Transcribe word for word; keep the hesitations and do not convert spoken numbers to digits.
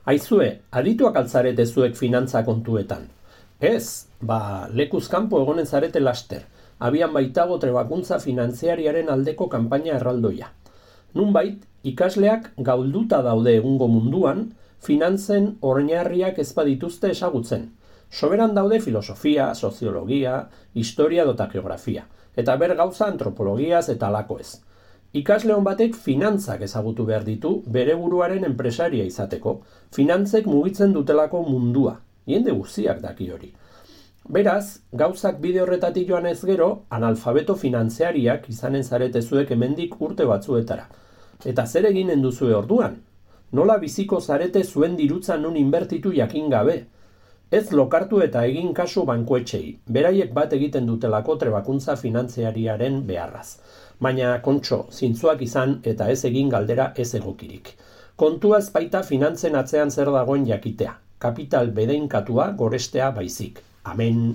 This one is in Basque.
Aizue, adituak altzarete zuek finantza kontuetan. Ez, ba, lekuz kanpo egonen zarete laster. Abian baitago trebakuntza finantziariaren aldeko kanpaina erraldoia. Nunbait, ikasleak gaulduta daude egungo munduan, finantzen oinarriak ez badituzte ezagutzen. Soberan daude filosofia, soziologia, historia dota geografia, eta ber gauza antropologiaz eta alakoez. Ikasle hon batek finantzak ezagutu behar ditu bere buruaren enpresaria izateko, finantzek mugitzen dutelako mundua, jende guztiak daki hori. Beraz, gauzak bide horretatik joan ez gero, analfabeto finantziariak izanen zarete zuek hemendik urte batzuetara. Eta zer eginen duzue orduan? Nola biziko zarete zuen dirutzan nun inbertitu jakin gabe? Ez lokartu eta egin kasu bankuetxei, beraiek bat egiten dutelako trebakuntza finantziariaren beharraz. Baina, kontxo, zintzuak izan eta ez egin galdera ez egokirik. Kontua ez baita finantzen atzean zer dagoen jakitea, kapital bedeinkatua gorestea baizik. Amen.